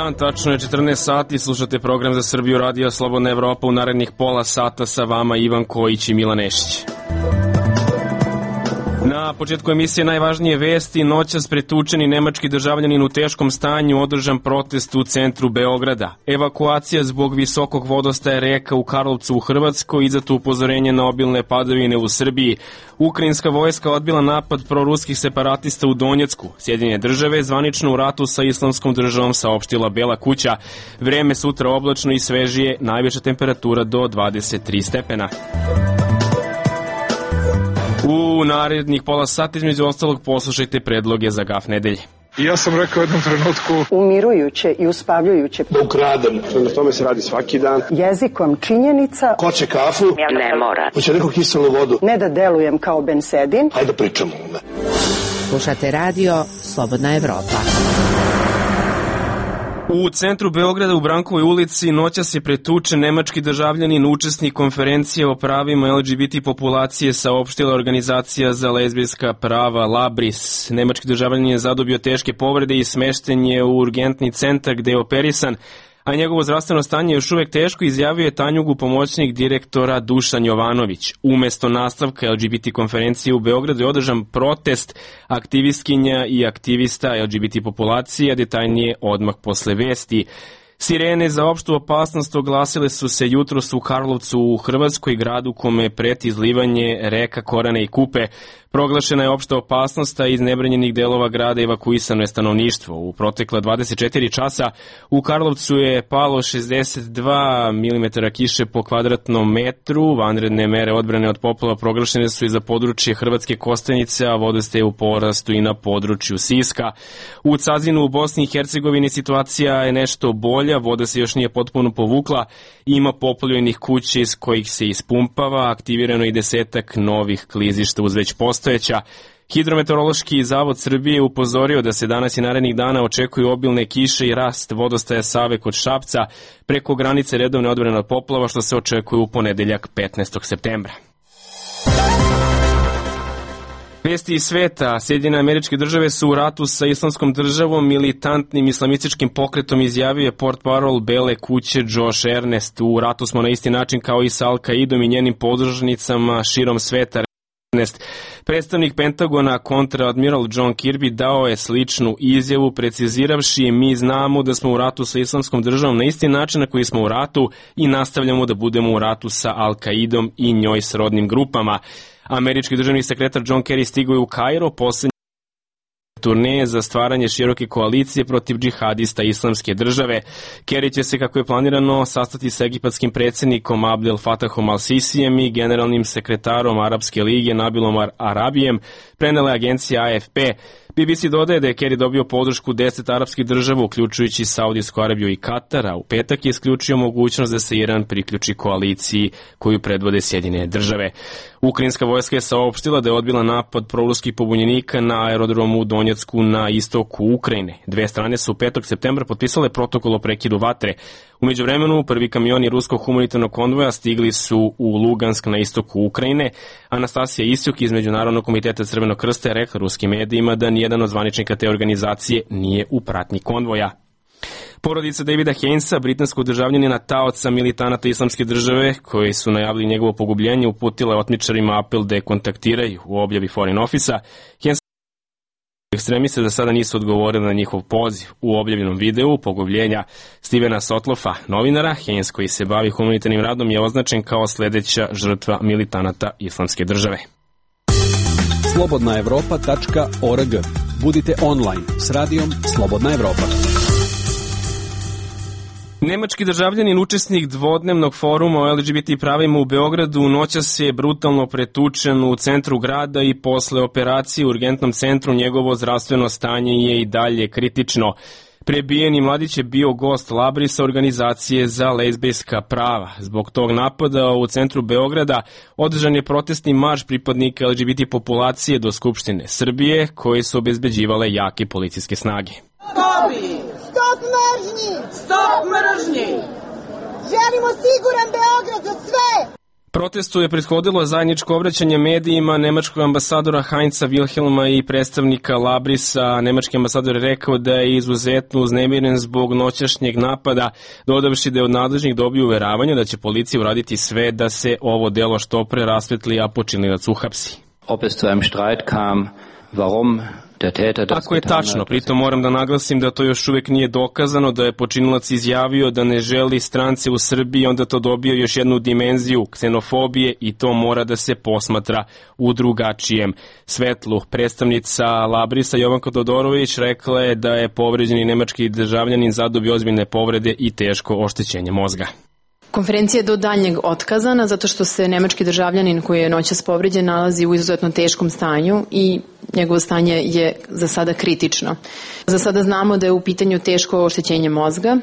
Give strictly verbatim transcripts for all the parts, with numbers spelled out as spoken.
dan, tačno je četrnaest sati, slušate program za Srbiju Radio Slobodna Evropa. U narednih pola sata sa vama Ivan Kojić i Milan Nešić. Na početku emisije najvažnije vesti. Noćas pretučeni nemački državljanin u teškom stanju, održan protest u centru Beograda. Evakuacija zbog visokog vodostaja reka u Karlovcu u Hrvatskoj, izdato upozorenje na obilne padavine u Srbiji. Ukrajinska vojska odbila napad proruskih separatista u Donjecku. Sjedinjene države zvanično u ratu sa Islamskom državom, saopštila Bela kuća. Vreme sutra oblačno i svežije, najveća temperatura do dvadeset tri stepena. U narednih pola sata između ostalog poslušajte predloge za gaf nedelje. I ja sam rekao u jednom trenutku umirujuće i uspavljujuće. Da ukradem, na tome se radi svaki dan. Jezikom činjenica. Hoće kafu? Ne mora. Hoće neku kiselu vodu? Ne da delujem kao bensedin. Hajde pričamo. Slušate radio Slobodna Evropa. U centru Beograda u Brankovoj ulici noćas je pretučen nemački državljanin, učesnik konferencije o pravima el ge be te populacije, saopštila organizacija za lezbijska prava Labris. Nemački državljanin je zadobio teške povrede i smešten je u urgentni centar gde je operisan, a njegovo zdravstveno stanje je još uvek teško, izjavio je Tanjugu pomoćnik direktora Dušan Jovanović. Umesto nastavka el ge be te konferencije u Beogradu je održan protest aktivistkinja i aktivista el ge be te populacije, a detaljnije odmah posle vesti. Sirene za opštu opasnost oglasile su se jutros u Karlovcu u Hrvatskoj, gradu kome preti izlivanje reka Korane i Kupe. Proglašena je opšta opasnost, a iz nebranjenih delova grada evakuisano je stanovništvo. U protekla dvadeset četiri časa u Karlovcu je palo šezdeset dva milimetra kiše po kvadratnom metru. Vanredne mere odbrane od poplava proglašene su i za područje Hrvatske Kostajnice, a vodostaj je u porastu i na području Siska. U Cazinu u Bosni i Hercegovini situacija je nešto bolja, voda se još nije potpuno povukla, ima poplavljenih kuća iz kojih se ispumpava, aktivirano i desetak novih klizišta uz već postojeća. Hidrometeorološki zavod Srbije upozorio da se danas i narednih dana očekuju obilne kiše i rast vodostaja Save kod Šapca preko granice redovne odbrane od poplava, što se očekuje u ponedeljak petnaestog septembra. Vesti iz sveta. Sjedinjene Američke Države su u ratu sa Islamskom državom, militantnim islamističkim pokretom, izjavio je portparol Bele kuće Josh Ernest. U ratu smo na isti način kao i sa Al-Kaidom i njenim podružnicama širom sveta. Predstavnik Pentagona, kontraadmiral John Kirby, dao je sličnu izjavu, preciziravši: mi znamo da smo u ratu sa Islamskom državom na isti način na koji smo u ratu i nastavljamo da budemo u ratu sa Al-Kaidom i njoj srodnim grupama. Američki državni sekretar John Kerry stigao je u Kairo, poslednji turneje za stvaranje široke koalicije protiv džihadista Islamske države. Kerry će se, kako je planirano, sastati sa egipatskim predsjednikom Abdel Fatahom al-Sisijem i generalnim sekretarom Arapske lige Nabilom Arabijem, prenela agencija A F P. B B C dodaje da je Kerry dobio podršku deset arapskih država, uključujući Saudijsku Arabiju i Katar, a u petak je isključio mogućnost da se Iran priključi koaliciji koju predvode Sjedinjene države. Ukrajinska vojska je saopštila da je odbila napad proruskih pobunjenika na aerodromu u Donjecku na istoku Ukrajine. Dve strane su petog septembra potpisale protokol o prekidu vatre. U međuvremenu, prvi kamioni ruskog humanitarnog konvoja stigli su u Lugansk na istoku Ukrajine. Anastasija Isjuk iz Međunarodnog komiteta Crvenog krsta je rekla ruskim medijima da nijedan od zvaničnika te organizacije nije u pratnji konvoja. Porodica Davida Hainesa, britanskog državljanina, taoca militanata Islamske države, koji su najavili njegovo pogubljenje, uputila je otmičarima apel da je kontaktiraju u objavi Foreign Office-a. Hainesa ekstremiste za sada nisu odgovorili na njihov poziv. U objavljenom videu pogubljenja Stevena Sotlofa, novinara, Haines, koji se bavi humanitarnim radom, je označen kao sledeća žrtva militanata Islamske države. slobodna evropa tačka org. Budite online s radijom Slobodna Evropa. Nemački državljanin, učesnik dvodnevnog foruma o el ge be te pravima u Beogradu, noćas je brutalno pretučen u centru grada i posle operacije u urgentnom centru njegovo zdravstveno stanje je i dalje kritično. Prebijeni mladić je bio gost Labrisa, organizacije za lezbijska prava. Zbog tog napada u centru Beograda održan je protestni marš pripadnika el ge be te populacije do Skupštine Srbije, koje su obezbeđivale jake policijske snage. Stop mržnji! Stop mržnji! Želimo siguran Beograd za sve! Protestu je prethodilo zajedničko obraćanje medijima nemačkog ambasadora Heinza Wilhelma i predstavnika Labrisa. Nemački ambasador je rekao da je izuzetno uznemiren zbog noćašnjeg napada, dodavši da je od nadležnih dobio uveravanje da će policija uraditi sve da se ovo delo što pre rasvetli, a počinilac uhapsi. Ob es zu einem Streit kam, warum? Ako je tačno, pritom moram da naglasim da to još uvek nije dokazano, da je počinilac izjavio da ne želi strance u Srbiji, onda to dobio još jednu dimenziju ksenofobije i to mora da se posmatra u drugačijem svetlu. Predstavnica Labrisa Jovanka Todorović rekla je da je povređeni nemački državljanin zadobio ozbiljne povrede i teško oštećenje mozga. Konferencija je do daljnjeg otkazana zato što se nemački državljanin koji je noćas povređen nalazi u izuzetno teškom stanju i njegovo stanje je za sada kritično. Za sada znamo da je u pitanju teško oštećenje mozga.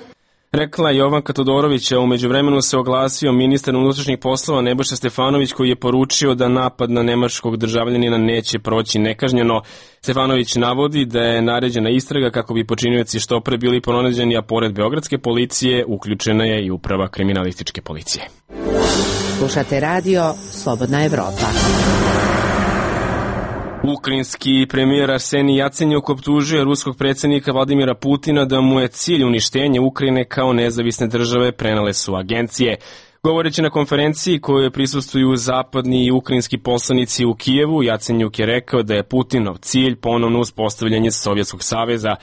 Rekla Jovanka Todorović, a u međuvremenu se oglasio ministar unutrašnjih poslova Nebojša Stefanović koji je poručio da napad na nemačkog državljanina neće proći nekažnjeno. Stefanović navodi da je naređena istraga kako bi počinioci što pre bili pronađeni, a pored beogradske policije uključena je i uprava kriminalističke policije. Slušate radio Slobodna Evropa. Ukrajinski premijer Arsenij Jacenjuk optužuje ruskog predsjednika Vladimira Putina da mu je cilj uništenje Ukrajine kao nezavisne države, prenale su agencije. Govoreći na konferenciji kojoj prisustvuju zapadni i ukrajinski poslanici u Kijevu, Jacenjuk je rekao da je Putinov cilj ponovno uspostavljanje Sovjetskog saveza.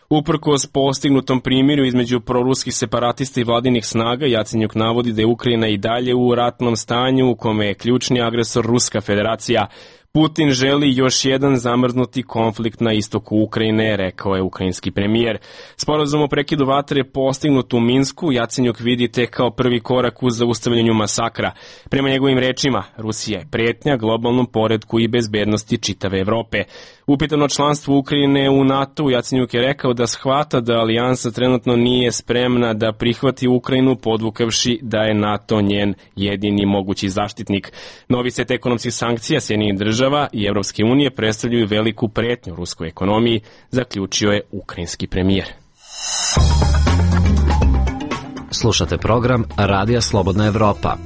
Uprkos postignutom primjeru između proruskih separatista i vladinih snaga, Jacenjuk navodi da je Ukrajina i dalje u ratnom stanju u kome je ključni agresor Ruska federacija. Putin želi još jedan zamrznuti konflikt na istoku Ukrajine, rekao je ukrajinski premijer. Sporazum o prekidu vatre postignut u Minsku Jacenjuk vidi tek kao prvi korak u zaustavljanju masakra. Prema njegovim rečima, Rusija je pretnja globalnom poretku i bezbednosti čitave Evrope. Upitano članstvo Ukrajine u NATO, Jacenjuk je rekao da shvata da alijansa trenutno nije spremna da prihvati Ukrajinu, podvukavši da je NATO njen jedini mogući zaštitnik. Novi set ekonomskih sankcija Sjedinjenih država i Evropske unije predstavljaju veliku pretnju ruskoj ekonomiji, zaključio je ukrajinski premijer. Slušate program Radija Slobodna Evropa.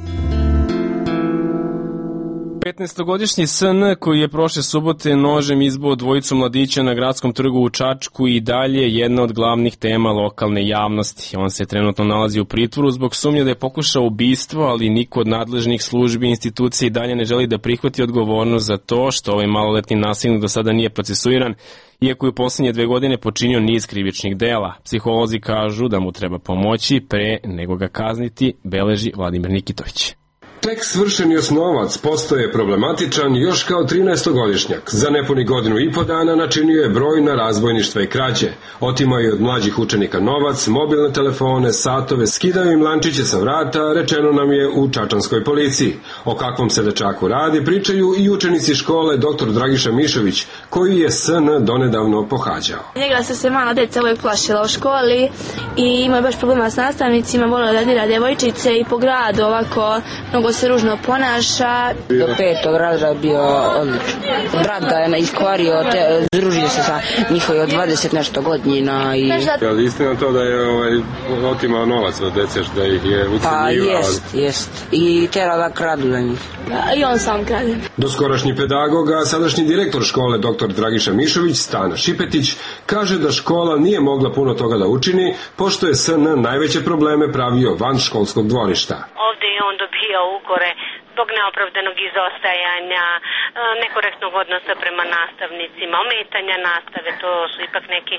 petnaestogodišnji S N koji je prošle subote nožem izbio dvojicu mladića na gradskom trgu u Čačku i dalje jedna od glavnih tema lokalne javnosti. On se trenutno nalazi u pritvoru zbog sumnje da je pokušao ubistvo, ali niko od nadležnih službi i institucija i dalje ne želi da prihvati odgovornost za to što ovaj maloletni nasilnik do sada nije procesuiran, iako je u posljednje dve godine počinio niz krivičnih dela. Psiholozi kažu da mu treba pomoći pre nego ga kazniti, beleži Vladimir Nikitović. Tek svršeni osnovac postoje problematičan još kao trinaestogodišnjak. Za nepuni godinu i po dana načinio je brojna razbojništva i krađe. Otimao je od mlađih učenika novac, mobilne telefone, satove, skidao im lančiće sa vrata, rečeno nam je u čačanskoj policiji. O kakvom se dečaku radi pričaju i učenici škole doktor Dragiša Mišović, koji je S N donedavno pohađao. Njega su se mala deca uvijek plašila u školi i imao je baš problema s nastavnicima, volio da dira djevojčice i po gradu ovako mnogo se ružno ponaša. Do petog razreda bio odlično. Brat ga je iskvario, te, združio se sa njihovi od dvadeset nešto godina. I... Je li istina to da je ovaj, otimao novac od dece, da ih je ucenjivao? Pa jest, jest. I tera da kradu za njih. I on sam krade. Doskorašnji pedagog, a sadašnji direktor škole doktor Dragiša Mišović, Stana Šipetić, kaže da škola nije mogla puno toga da učini, pošto je S N najveće probleme pravio van školskog dvorišta. Ovdje je on dobio ukore zbog neopravdanog izostajanja, nekorektnog odnosa prema nastavnicima, ometanja nastave, to su ipak neki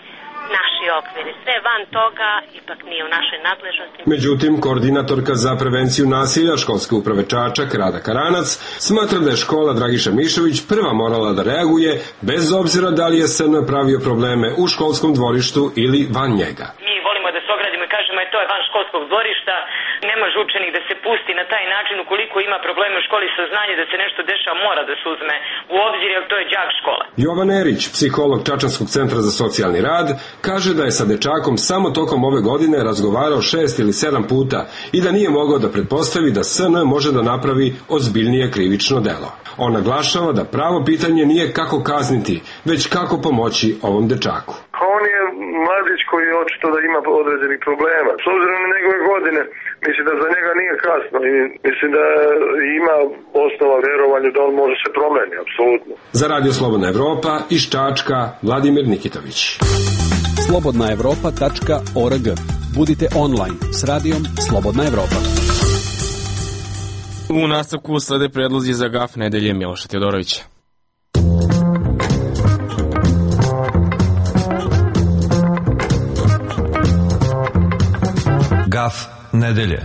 naši okviri. Sve van toga ipak nije u našoj nadležnosti. Međutim, koordinatorka za prevenciju nasilja školske uprave Čačak, Rada Karanac, smatra da je škola Dragiša Mišović prva morala da reaguje, bez obzira da li je S N pravio probleme u školskom dvorištu ili van njega. Mi volimo da se ogradimo i kažemo je to je van školskog dvorišta, ne može učenik da se pusti na taj način ukoliko ima probleme u školi, saznanje da se nešto dešava mora da se uzme u obzir, jer to je đak škola. Jovan Erić, psiholog Čačanskog centra za socijalni rad, kaže da je sa dečakom samo tokom ove godine razgovarao šest ili sedam puta i da nije mogao da pretpostavi da S N može da napravi ozbiljnije krivično delo. On naglašava da pravo pitanje nije kako kazniti, već kako pomoći ovom dečaku. On je mladić koji je očito da ima određenih problema. S obzirom na njegove godine, mislim da za njega nije kasno i mislim da ima osnova vjerovanju da on može se promeni, apsolutno. Za Radio Slobodna Evropa iz Čačka, Vladimir Nikitović. slobodna evropa tačka org. Budite online s radijom Slobodna Evropa. U nastavku slede predlozi za gaf nedelje Miloša Teodorovića. Gaf nedelje.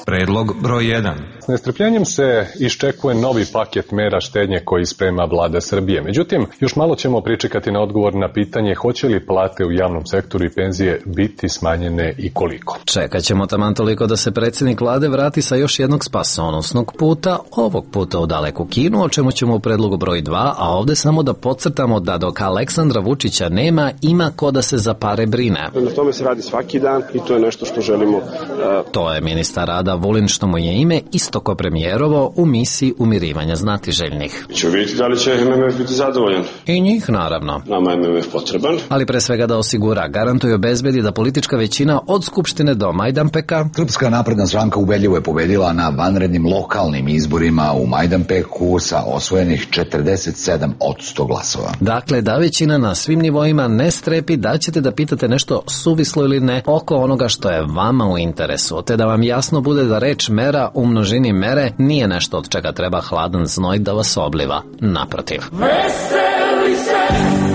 Predlog broj jedan. S nestrpljenjem se iščekuje novi paket mera štednje koji sprema vlada Srbije. Međutim, još malo ćemo pričekati na odgovor na pitanje hoće li plate u javnom sektoru i penzije biti smanjene i koliko. Čekat ćemo taman toliko da se predsjednik vlade vrati sa još jednog spasonosnog puta, ovog puta u daleku Kinu, o čemu ćemo u predlogu broj dva, a ovde samo da podcrtamo da dok Aleksandra Vučića nema, ima ko da se za pare brine. Na tome se radi svaki dan i to je nešto što želimo. Uh... To je ministar rada Vulin, što mu je ime isto ko premijerovo u misiji umirivanja znatiželjnih. Ćemo vidjeti da li će M M F biti zadovoljan. I njih naravno. Nama je M M F potreban. Ali pre svega da osigura, garantuje, obezbedi da politička većina od Skupštine do Majdanpeka. Srpska napredna stranka ubedljivo je pobedila na vanrednim lokalnim izborima u Majdanpeku sa osvojenih četrdeset sedam posto glasova. Dakle, da većina na svim nivoima ne strepi da ćete da pitate nešto suvislo ili ne oko onoga što je vama u interesu, te da vam jasno bude da reč mera u množini mere nije nešto od čega treba hladan znoj da vas obliva. Naprotiv. Veseli se!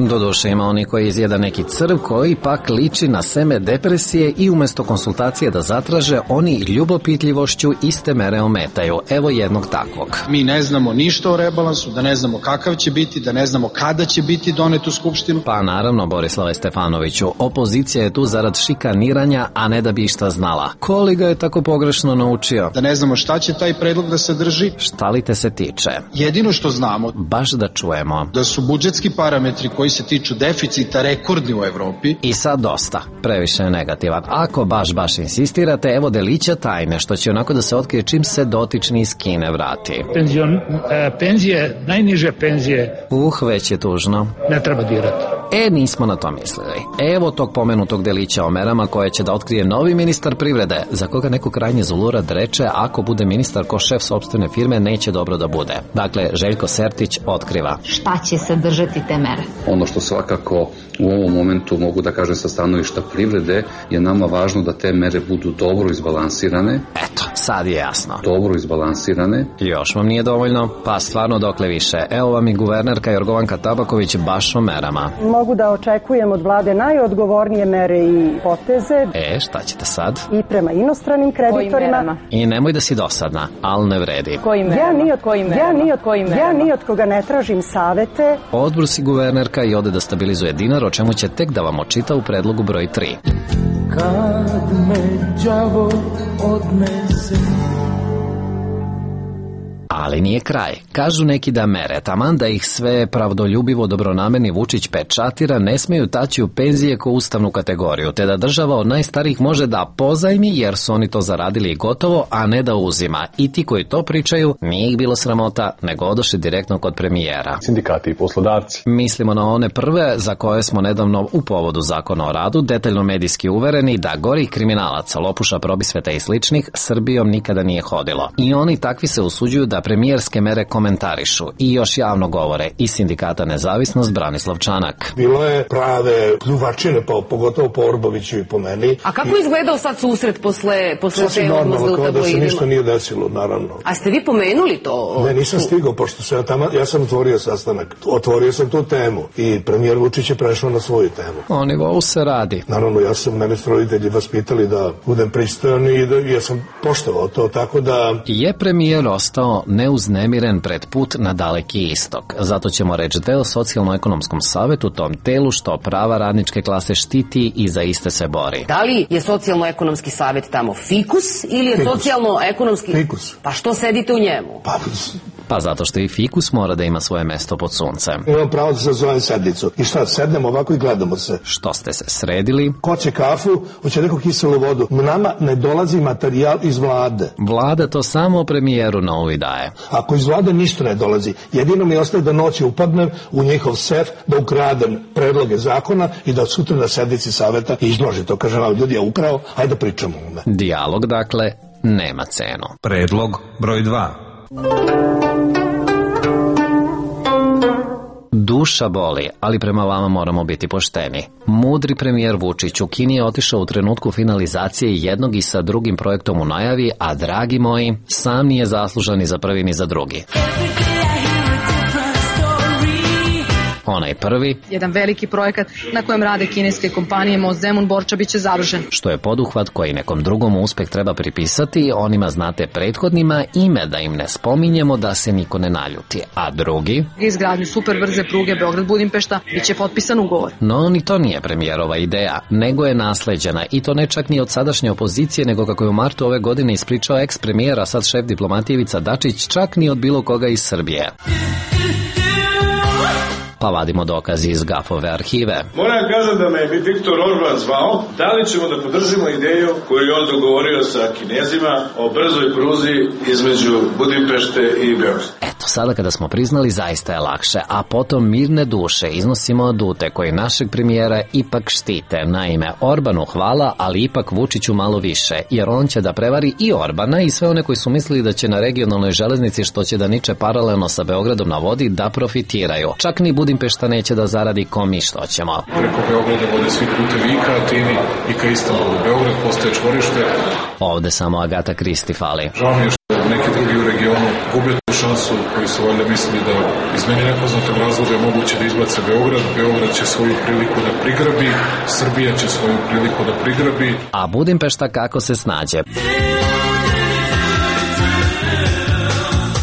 Doduše ima oni koji izjeda neki crv koji pak liči na seme depresije i umesto konsultacije da zatraže, oni ljubopitljivošću iste mere ometaju. Evo jednog takvog. Mi ne znamo ništa o rebalansu, da ne znamo kakav će biti, da ne znamo kada će biti donet u Skupštinu. Pa naravno, Borislave Stefanoviću, opozicija je tu zarad šikaniranja, a ne da bi išta znala. Ko li ga je tako pogrešno naučio? Da ne znamo šta će taj predlog da sadrži. Šta li te se tiče? Jedino što znamo, baš da čujemo, da su budžetski parametri koji se tiču deficita rekordni u Evropi. I sad dosta, previše je negativan. Ako baš baš insistirate, evo delića tajne, što će onako da se otkrije čim se dotični iz Kine vrati. Penzion, e, penzije, najniže penzije. Uh, već je tužno. Ne treba dirati. E, nismo na to mislili. Evo tog pomenutog delića o merama koje će da otkrije novi ministar privrede, za koga neko krajnje zulurad reče, ako bude ministar ko šef sopstvene firme, neće dobro da bude. Dakle, Željko Sertić otkriva. Šta će sadržati te mere? Ono što svakako u ovom momentu mogu da kažem sa stanovišta privrede je nama važno da te mere budu dobro izbalansirane. Eto, sad je jasno. Dobro izbalansirane. Još vam nije dovoljno? Pa stvarno dokle više. Evo vam i guvernerka Jorgovanka Tabaković baš o merama. Mogu da očekujem od vlade najodgovornije mere i poteze. E, šta ćete sad? I prema inostranim kreditorima. I nemoj da si dosadna, ali ne vredi. Kojim merama? Ja ni od, Kojim merama? Ja ni od, Kojim ja ni od koga ne tražim savete. Odbor si guvernerka i ode da stabilizuje dinar, o čemu će tek da vam očita u predlogu broj tri. Kad me đavo odnese. Ali nije kraj. Kažu neki da mere, taman da ih sve pravdoljubivo dobronamerni Vučić pečatira, ne smeju taći u penzije ko ustavnu kategoriju, te da država od najstarijih može da pozajmi jer su oni to zaradili i gotovo, a ne da uzima. I ti koji to pričaju, nije ih bilo sramota, nego odošli direktno kod premijera. Sindikati i poslodavci. Mislimo na one prve za koje smo nedavno u povodu zakona o radu detaljno medijski uvereni da gorih kriminalaca, lopuša, probisveta i sličnih Srbijom nikada nije hodilo. I oni takvi se usuđuju da premijerske mere komentarišu i još javno govore i sindikata Nezavisnost Branislav Čanak. Bilo je prave pljuvačine, pa, pogotovo po Orboviću i po meni. A kako je izgledao sad susret posle, posle te odmazde u tabloidima? Kao da se ništa nije desilo, naravno. A ste vi pomenuli to? Ne, nisam stigao, pošto sam ja tamo, ja sam otvorio sastanak. Otvorio sam tu temu i premijer Vučić je prešao na svoju temu. O nivou se radi. Naravno, ja sam, mene su roditelji vaspitali da budem pristojan i da ja sam poštovao to, tako da... Je premijer ostao neuznemiren pred put na daleki istok. Zato ćemo reći deo socijalno-ekonomskom savetu, tom telu što prava radničke klase štiti i za iste se bori. Da li je socijalno-ekonomski savet tamo fikus ili je fikus. Socijalno-ekonomski... Fikus. Pa što sedite u njemu? Pa Pa zato što i fikus mora da ima svoje mesto pod suncem. Imam pravo da se zovem sednicu. I šta, sednemo ovako i gledamo se. Što ste se sredili? Hoće kafu, hoće neku kiselu vodu. Nama ne dolazi materijal iz vlade. Vlada to samo premijeru na uvid daje. Ako iz vlade ništa ne dolazi, jedino mi ostaje da noći upadnem u njihov sef, da ukradem predloge zakona i da sutra na sednici saveta izloži to. Kažem, ljudi, ja ukrao, hajde pričamo o me. Dijalog, dakle, nema cenu. Predlog broj dva. Duša boli, ali prema vama moramo biti pošteni. Mudri premijer Vučić u Kini je otišao u trenutku finalizacije jednog i sa drugim projektom u najavi, a dragi moji, sam nije zaslužan ni za prvi ni za drugi. Onaj prvi, jedan veliki projekat na kojem rade kineske kompanije Most Zemun-Borča biće završen. Što je poduhvat koji nekom drugom uspeh treba pripisati, onima znate prethodnima ime da im ne spominjemo da se niko ne naljuti. A drugi, izgradnju superbrze pruge Beograd-Budimpešta biće potpisan ugovor. No, ni to nije premijerova ideja, nego je nasleđena i to ne čak ni od sadašnje opozicije, nego kako je u martu ove godine ispričao eks-premijera, sad šef diplomatije Ivica Dačić, čak ni od bilo koga iz Srbije. Pa vadimo dokazi iz Gafove arhive. Moram kažem da me je Viktor Orban zvao, da li ćemo da podržimo ideju koju je on dogovorio sa Kinezima o brzoj pruzi između Budimpešte i Beograda. Eto, sada kada smo priznali, zaista je lakše, a potom mirne duše iznosimo adute koji našeg premijera ipak štite. Naime, Orbanu hvala, ali ipak Vučiću malo više, jer on će da prevari i Orbana i sve one koji su mislili da će na regionalnoj železnici, što će da niče paralelno sa Beogradom na vodi, da profitiraju. Čak ni Budimpešta neće da zaradi ko mi što ćemo. Preko Beograda vode svi putevi i ka Atini i ka Istanbulu. Beograd postaje čvorište. Ovde samo Agata Kristi fali. Žao mi je što neki drugi u regionu gube tu šansu koji su valjda mislili da iz meni nepoznatog razloga je moguće da izbace Beograd. Beograd će svoju priliku da prigrabi, Srbija će svoju priliku da prigrabi. A Budimpešta kako se snađe?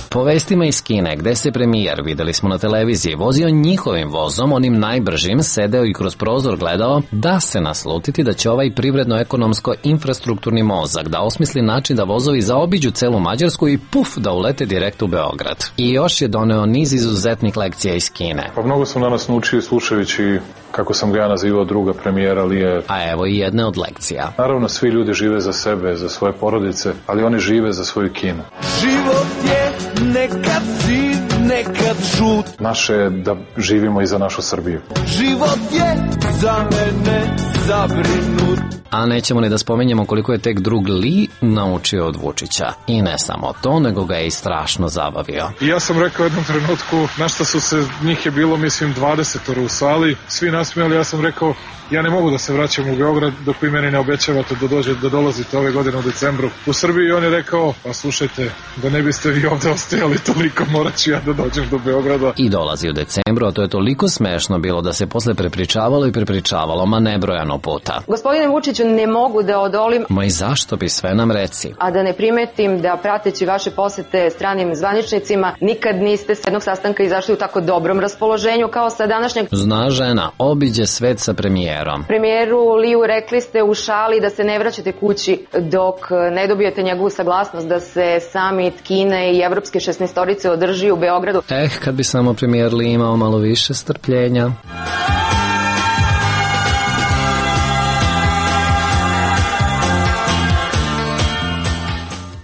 Po vestima iz Kine, gde se premijer, videli smo na televiziji, vozio njihovim vozom, onim najbržim, sedeo i kroz prozor gledao, da se naslutiti da će ovaj privredno-ekonomsko-infrastrukturni mozak da osmisli način da vozovi zaobiđu celu Mađarsku i puf, da ulete direkt u Beograd. I još je doneo niz izuzetnih lekcija iz Kine. Pa mnogo sam danas naučio slušajući kako sam ga ja nazivao druga premijera, ali je... A evo i jedne od lekcija. Naravno, svi ljudi žive za sebe, za svoje porodice, ali oni žive za svoju Kinu. Život je nekad siv, nekad žut. Naše je da živimo i za našu Srbiju. Život je za mene zabrinut. A nećemo ni da spomenjemo koliko je tek drug Li naučio od Vučića. I ne samo to, nego ga je i strašno zabavio. I ja sam rekao u jednom trenutku, na šta su se, njih je bilo mislim dvadesetoro u sali, svi nasmijali, ja sam rekao, ja ne mogu da se vraćam u Beograd dok vi meni ne obećavate da, dođe, da dolazite ove godine u decembru u Srbiji. I on je rekao, pa slušajte, da ne biste vi ovde ostajali toliko, morat ću ja da dođem do Beograda. I dolazi u decembru, a to je toliko smešno bilo da se posle prepričavalo i prepričavalo, ma nebrojano puta. Gospodine Vučiću, ne mogu da odolim. Ma i zašto bi, sve nam reci. A da ne primetim da prateći vaše posete stranim zvaničnicima, nikad niste s jednog sastanka izašli u tako dobrom raspoloženju kao sa današnjeg. Zna žena, obiđe svet sa premijerom. Premijeru Liju rekli ste u šali da se ne vraćate kući dok ne dobijete njegovu saglasnost da se samit Kine i evropske šesnaestorice održi u Beogradu. Eh, kad bi samo premijer Li imao malo više strpljenja.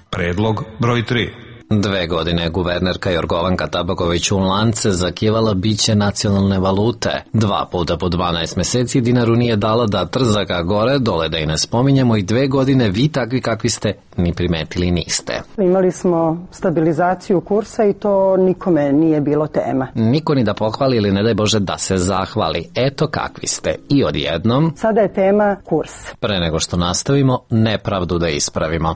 Predlog broj tri. Dve godine guvernerka Jorgovanka Tabaković u lance zakivala biće nacionalne valute. Dva puta po dvanaest meseci dinaru nije dala da trzaka gore, dole da i ne spominjemo, i dve godine vi takvi kakvi ste ni primetili niste. Imali smo stabilizaciju kursa i to nikome nije bilo tema. Niko ni da pohvali ili ne daj Bože da se zahvali. Eto kakvi ste. I odjednom... Sada je tema kurs. Pre nego što nastavimo, nepravdu da ispravimo.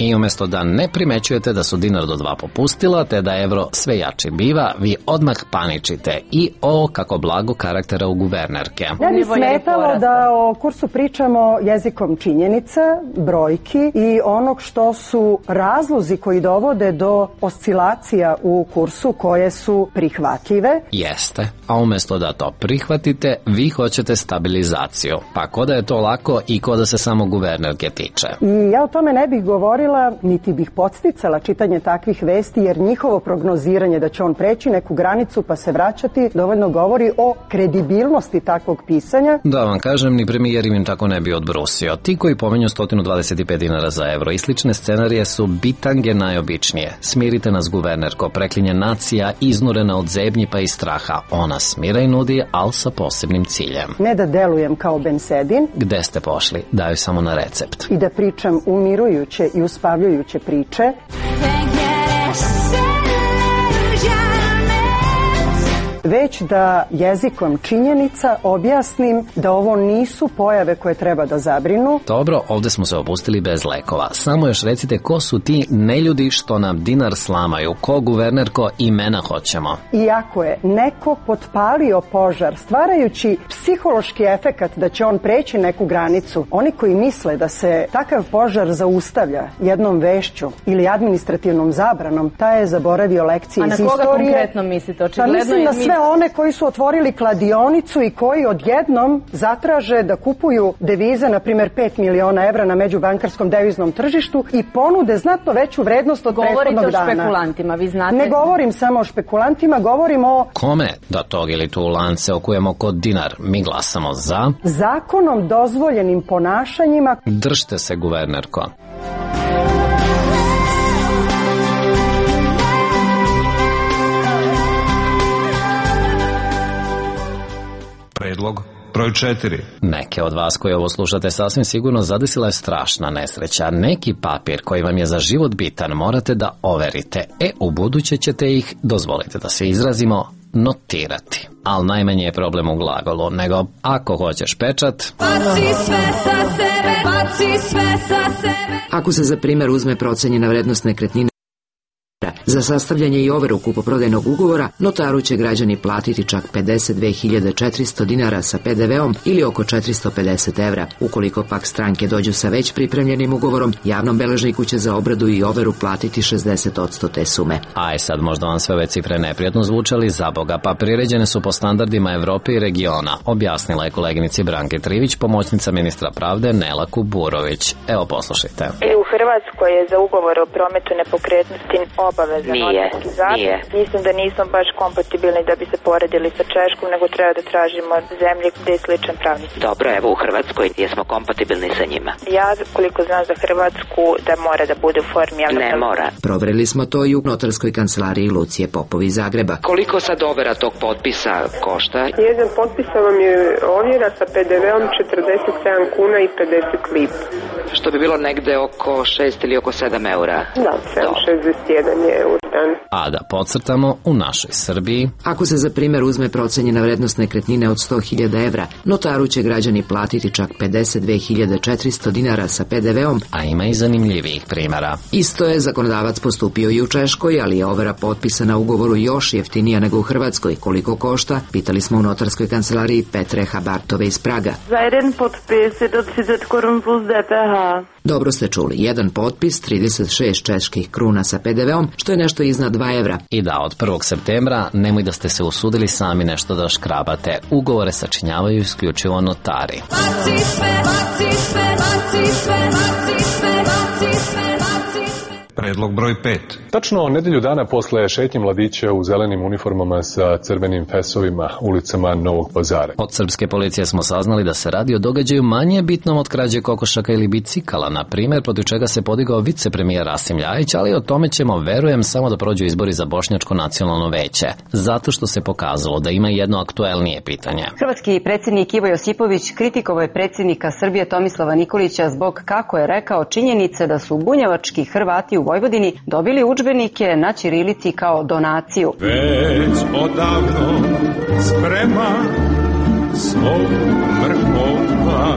I umjesto da ne primećujete da su dinar do dva popustila, te da evro sve jači biva, vi odmah paničite. I o, kako blago karaktera u guvernerke. Ne bi smetalo da o kursu pričamo jezikom činjenica, brojki i onog što su razlozi koji dovode do oscilacija u kursu koje su prihvatljive. Jeste, a umjesto da to prihvatite, vi hoćete stabilizaciju. Pa ko da je to lako i ko da se samo guvernerke tiče. I ja o tome ne bih govorila volila, niti bih podsticala čitanje takvih vesti, jer njihovo prognoziranje da će on preći neku granicu pa se vraćati dovoljno govori o kredibilnosti takvog pisanja. Da vam kažem, ni premijer im tako ne bi odbrusio. Ti koji pomenju sto dvadeset pet dinara za evro i slične scenarije su bitange najobičnije. Smirite nas, guvernerko, preklinje nacija, iznurena od zebnji pa i straha. Ona smira i nudi, ali sa posebnim ciljem. Ne da delujem kao Bensedin. Gde ste pošli? Daju samo na recept. I da pričam umirujuće i uspavljujuće priče. Već da jezikom činjenica objasnim da ovo nisu pojave koje treba da zabrinu. Dobro, ovde smo se opustili bez lekova. Samo još recite ko su ti neljudi što nam dinar slamaju, ko, guvernerko, imena hoćemo. Iako je neko potpalio požar stvarajući psihološki efekat da će on preći neku granicu, oni koji misle da se takav požar zaustavlja jednom vešću ili administrativnom zabranom, taj je zaboravio lekcije iz istorije. A na koga konkretno mislite? Očigledno mislim na sve one koji su otvorili kladionicu i koji odjednom zatraže da kupuju devize, na primjer pet miliona evra na međubankarskom deviznom tržištu i ponude znatno veću vrednost od prethodnog dana. Govorite o špekulantima, vi znate. Ne govorim samo o špekulantima, govorim o... Kome da tog ili tu lance okujemo kod dinar? Mi glasamo za... zakonom dozvoljenim ponašanjima. Držte se, guvernerko. Predlog broj četiri. Neke od vas koji ovo slušate sasvim sigurno zadesila je strašna nesreća. Neki papir koji vam je za život bitan morate da overite. E, u buduće ćete ih, dozvolite da se izrazimo, notirati. Ali najmanje je problem u glagolu, nego ako hoćeš pečat... Baci sve sa sebe, baci sve sa sebe. Ako se za primjer uzme procenjena vrednost nekretnine, za sastavljanje i overu kupoprodajnog ugovora notaru će građani platiti čak pedeset dve hiljade četiristo dinara sa pe de veom ili oko četiristo pedeset evra. Ukoliko pak stranke dođu sa već pripremljenim ugovorom, javnom beležniku će za obradu i overu platiti šezdeset posto te sume. Aj sad, možda vam sve ove cifre neprijatno zvučali, za Boga, pa priređene su po standardima Evrope i regiona, objasnila je koleginici Branke Trivić, pomoćnica ministra pravde Nela Kuburović. Evo, poslušajte. I u Hrvatskoj je za ugovor o prometu nepokretnosti obavezan notarski zapis. Mislim da nismo baš kompatibilni da bi se poredili sa Češkom, nego treba da tražimo zemlje gde je sličan pravni sistem. Dobro, evo u Hrvatskoj jesmo kompatibilni sa njima. Ja, koliko znam za Hrvatsku, da mora da bude u formi... Ne mora. Proverili smo to i u notarskoj kancelariji Lucije Popovi iz Zagreba. Koliko sad overa tog potpisa košta? Jedan potpisa vam je ovjera sa pe de veom četrdeset sedam kuna i pedeset lipa. Što bi bilo negde oko šest ili oko sedam eura. Da, sedam šezdeset jedan je eur. A da podcrtamo, u našoj Srbiji... Ako se za primjer uzme procenjena vrednost nekretnine od sto hiljada evra, notaru će građani platiti čak pedeset dve hiljade četiristo dinara sa pe de veom, a ima i zanimljivijih primjera. Isto je zakonodavac postupio i u Češkoj, ali je overa potpisa na ugovoru još jeftinija nego u Hrvatskoj. Koliko košta? Pitali smo u notarskoj kancelariji Petre Habartove iz Praga. Za jedan potpis je do trideset korun plus de pe ha. Dobro ste čuli, jedan potpis, trideset šest čeških kruna sa pe de veom, što je nešto iznad dva evra. I da, od prvog septembra nemoj da ste se usudili sami nešto da škrabate. Ugovore sačinjavaju isključivo notari. Baci sve, baci sve, baci sve, baci sve, baci sve, baci sve. Predlog broj pet. Tačno nedelju dana posle šetnje mladića u zelenim uniformama sa crvenim fesovima ulicama Novog Pazara. Od srpske policije smo saznali da se radi o događaju manje bitnom od krađe kokošaka ili bicikala, na primjer, protiv čega se podigao vicepremijer Rasim Ljajić, ali o tome ćemo, verujem, samo da prođu izbori za Bošnjačko nacionalno veće, zato što se pokazalo da ima jedno aktuelnije pitanje. Hrvatski predsjednik Ivo Josipović kritikovao je predsjednika Srbije Tomislava Nikolića zbog, kako je rekao, činjenice da su bunjevački Hrvati u Vojvodini dobili udžbenike na ćirilici kao donaciju. Već odavno sprema svog mrkova.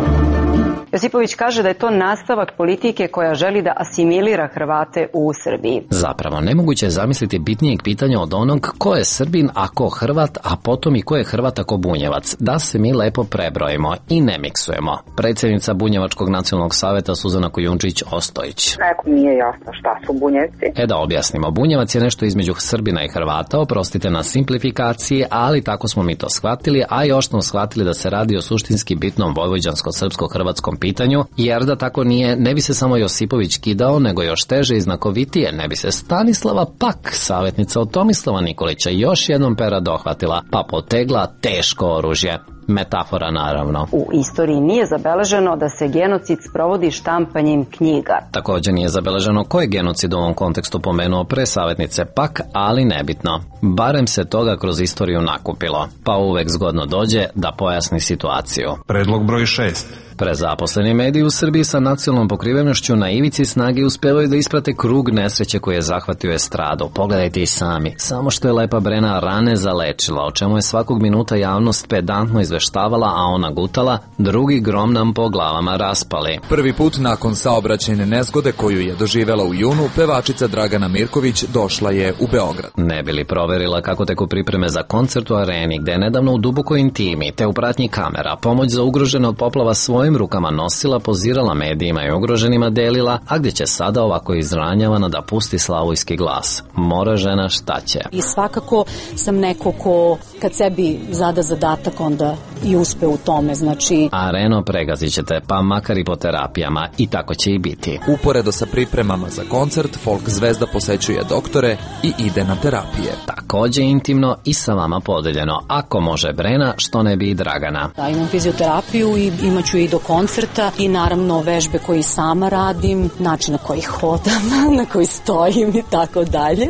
Josipović kaže da je to nastavak politike koja želi da asimilira Hrvate u Srbiji. Zapravo, nemoguće je zamisliti bitnijeg pitanja od onog ko je Srbin, a ko Hrvat, a potom i ko je Hrvat, a ko Bunjevac. Da se mi lepo prebrojimo i ne miksujemo. Predsjednica Bunjevačkog nacionalnog saveta Suzana Kujundžić-Ostojić. Nekom nije jasno šta su Bunjevci. E da objasnimo, Bunjevac je nešto između Srbina i Hrvata, oprostite na simplifikaciji, ali tako smo mi to shvatili, a još smo shvatili da se radi o suštinski bitnom vojvođansko-srpsko-hrvatskom pitanju, jer da tako nije, ne bi se samo Josipović kidao, nego još teže i znakovitije, ne bi se Stanislava Pak, savjetnica od Tomislava Nikolića, još jednom pera dohvatila, pa potegla teško oružje. Metafora, naravno. U istoriji nije zabeleženo da se genocid sprovodi štampanjem knjiga. Također nije zabeleženo ko je genocid u ovom kontekstu pomenuo pre savjetnice Pak, ali nebitno. Barem se toga kroz istoriju nakupilo, pa uvek zgodno dođe da pojasni situaciju. Predlog broj šest. Prezaposleni mediji u Srbiji sa nacionalnom pokrivenošću na ivici snage uspevaju da isprate krug nesreće koji je zahvatio estradu. Pogledajte i sami. Samo što je Lepa Brena rane zalečila, o čemu je svakog minuta javnost pedantno izveštavala, a ona gutala, drugi grom nam po glavama raspali. Prvi put nakon saobraćajne nezgode koju je doživela u junu, pevačica Dragana Mirković došla je u Beograd. Ne bi li proverila kako teku pripreme za koncert u areni, gde je nedavno u dubokoj intimi, te u pratnji kamera, pomoć za ugrožene od poplava svojim rukama nosila, pozirala medijima i ugroženima delila, a gdje će sada ovako izranjavana da pusti slavojski glas. Mora žena, šta će? I svakako sam neko ko kad sebi zada zadatak onda i uspe u tome, znači... Areno pregazit ćete, pa makar i po terapijama, i tako će i biti. Uporedo sa pripremama za koncert, folk zvezda posećuje doktore i ide na terapije. Također intimno i sa vama podeljeno. Ako može Brena, što ne bi i Dragana. Da, imam fizioterapiju i imat ću i do koncerta i naravno vežbe koje sama radim, način na koji hodam, na koji stojim i tako dalje.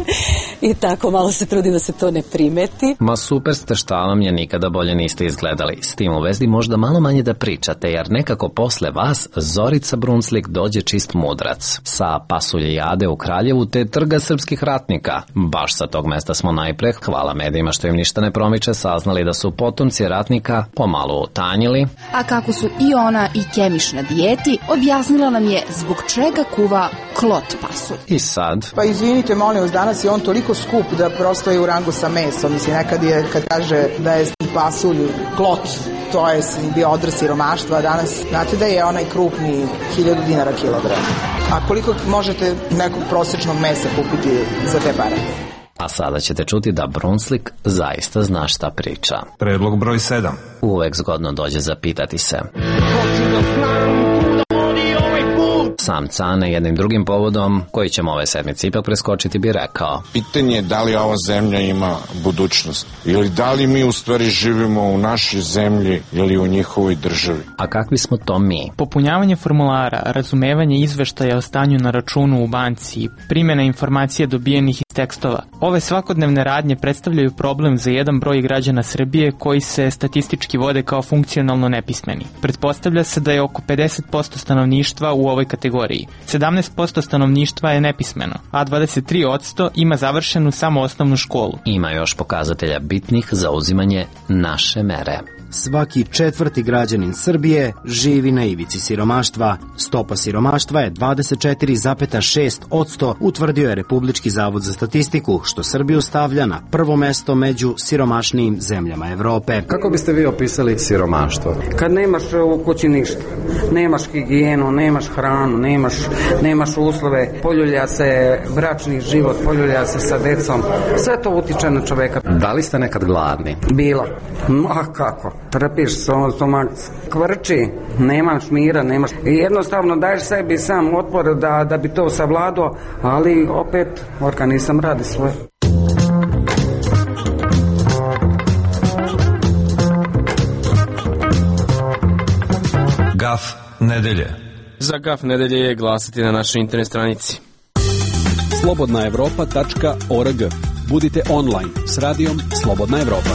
I tako malo se trudim da se to ne primeti. Ma super ste, šta vam je, nikada bolje niste izgledali. S tim u vezi možda malo manje da pričate, jer nekako posle vas Zorica Brunslik dođe čist mudrac. Sa pasulje jade u Kraljevu te trga srpskih ratnika. Baš sa tog mesta smo najpre, hvala medijima što im ništa ne promiče, saznali da su potomci ratnika pomalo utanjili. A kako su i ona i Kemiš na dijeti, objasnila nam je zbog čega kuva klot pasulj. I sad? Pa izvinite, molim vas, danas je on toliko skup da prosto je u rangu sa mesom. Mislim, nekad je, kad kaže da je pasulj klot, to je bio odraz siromaštva, a danas znate da je onaj krupni hiljadu dinara kilogram. A koliko možete nekog prosječnog mesa kupiti za te pare? A sada ćete čuti da Brunslik zaista zna šta priča. Predlog broj sedam. Uvek zgodno dođe zapitati se. Sam Cane jednim drugim povodom, koji ćemo ove sedmice ipak preskočiti, bi rekao: pitanje je da li ova zemlja ima budućnost ili da li mi u stvari živimo u našoj zemlji ili u njihovoj državi. A kakvi smo to mi? Popunjavanje formulara, razumevanje izveštaja o stanju na računu u banci, primjena informacija dobijenih iz tekstova. Ove svakodnevne radnje predstavljaju problem za jedan broj građana Srbije koji se statistički vode kao funkcionalno nepismeni. Pretpostavlja se da je oko pedeset posto stanovništva u ovoj kategoriji. sedamnaest posto stanovništva je nepismeno, a dvadeset tri posto ima završenu samo osnovnu školu. Ima još pokazatelja bitnih za uzimanje naše mere. Svaki četvrti građanin Srbije živi na ivici siromaštva. Stopa siromaštva je dvadeset četiri zarez šest posto, utvrdio je Republički zavod za statistiku, što Srbiju stavlja na prvo mesto među siromašnijim zemljama Evrope. Kako biste vi opisali siromaštvo? Kad nemaš u kući ništa, nemaš higijenu, nemaš hranu, nemaš, nemaš uslove, poljulja se bračni život, poljulja se sa decom, sve to utiče na čoveka. Da li ste nekad gladni? Bilo. Ma kako? Trpiš, stomak kvrči, nemaš mira, nemaš... I jednostavno daješ sebi sam otpor da, da bi to savladao, ali opet organizam radi svoje. Gaf nedelje. Za Gaf nedelje je glasati na našoj internet stranici. slobodna evropa tačka org. Budite online s radijom Slobodna Evropa.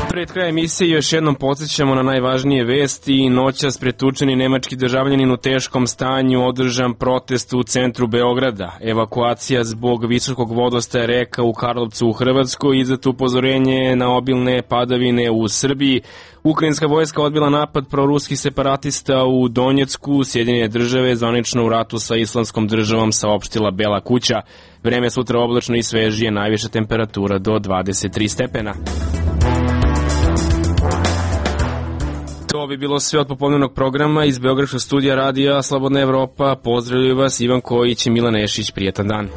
Pred krajem emisije još jednom podsjećamo na najvažnije vesti. Noćas pretučeni nemački državljanin u teškom stanju, održan protest u centru Beograda. Evakuacija zbog visokog vodostaja reka u Karlovcu u Hrvatskoj, izdato upozorenje na obilne padavine u Srbiji. Ukrajinska vojska odbila napad proruskih separatista u Donjecku. Sjedinjene države zvanično u ratu sa Islamskom državom, saopštila Bela kuća. Vreme sutra oblačno i svežije, najviša temperatura do dvadeset tri stepena. To bi bilo sve od popodnevnog programa iz Beogradskog studija radija Slobodna Evropa. Pozdravljaju vas Ivan Kojić i Milan Nešić. Prijetan dan.